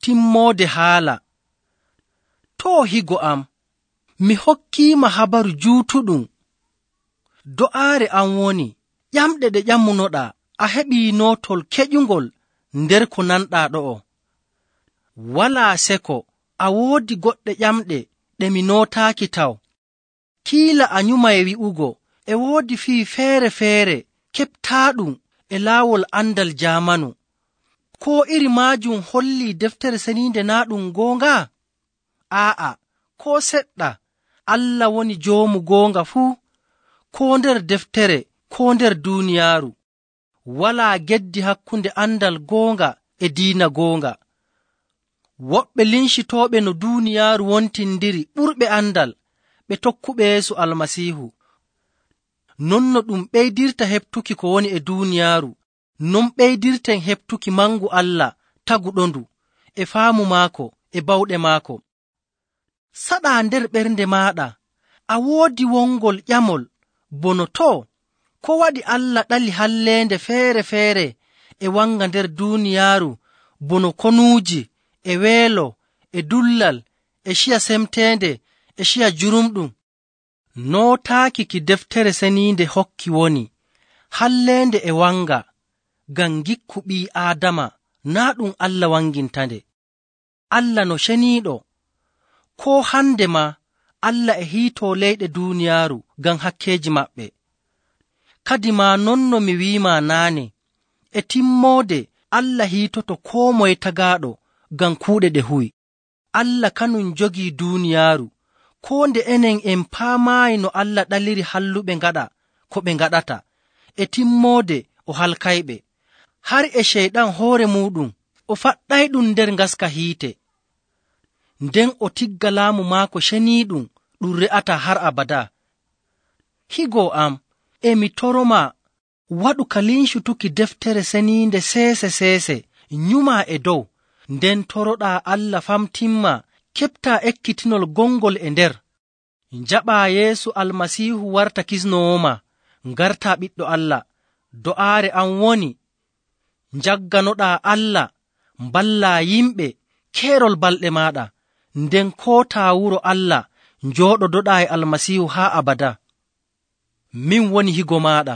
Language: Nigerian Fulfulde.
timmoode haala. Too higo am, mi hokkiima habaru juutuɗum. Do'aare am woni, ƴamɗe ɗe ƴamunoɗaa, a heɓii nootol keƴungol nder ko nanɗaa ɗo'o. Walaa seko, a woodi goɗɗe ƴamɗe ɗe mi nootaaki taw. Kiila a nyumay wi'ugo, e woodi fii feere-feere keɓtaaɗum e laawol andal jaamanu. Koo iri maajum hollii deftere ceniinde naa ɗum goonga? Aa'a, koo seɗɗa. Allah woni joomu goonga fuu, koo nder deftere, koo nder duuniyaaru. Walaa geddi hakkunde andal goonga e diina goonga. Woɓɓe lincitooɓe no duuniyaaru wontindiri ɓurɓe andal, ɓe tokkuɓe Yeesu Almasiihu. Non no ɗum ɓeydirta heɓtuki ko woni e duuniyaaru, non ɓeydirten heɓtuki mangu Allah taguɗondu e faamu maako e bawɗe maako. Saɗaa nder ɓernde maaɗa, a woodi wongol ƴamol bono too, ko waɗi Allah ɗali halleende feere-feere e wanga nder duuniyaaru bono konuuji e weelo e dullal e ciya semteende e ciya jurumɗum? Nootaaki ki deftere ceniinde hokki woni halleende e wanga ngam gikku ɓii Aadama naa ɗum Allah wangintande. Allah no ceniiɗo, koo hande maa Allah e hiitoo leyɗe duuniyaaru ngam hakkeeji maɓɓe. Kadi maa non no mi wi'ima naane, e timmoode Allah hiitoto koo moye tagaaɗo ngam kuuɗe ɗe huwi. Allah kanum jogii duuniyaaru, koo nde enen en paamaayi no Allah ɗaliri halluɓe ngaɗa ko ɓe ngaɗata, e timmoode o halkayɓe. Har e Ceyɗan hoore muuɗum o faɗɗayɗum nder ngaska hiite, nden o tigga laamu maako ceniiɗum ɗum re'ataa har abadaa. Higo am, emi toromaa waɗu ka lincutuki deftere ceniinde seese-seese, nyumaa e dow, nden toroɗaa Allah famtinma keɓtaa ekkitinol gongol e nder. Njaɓaa Yeesu Almasiihu warta kisnowooma, ngartaa ɓiɗɗo Allah. Do'aare am woni, njagganoɗaa Allah, mballaa yimɓe keerol balɗe maaɗa, nden kootaa wuro Allah njooɗodoɗaa e Almasiihu haa abadaa. Min woni higo maaɗa.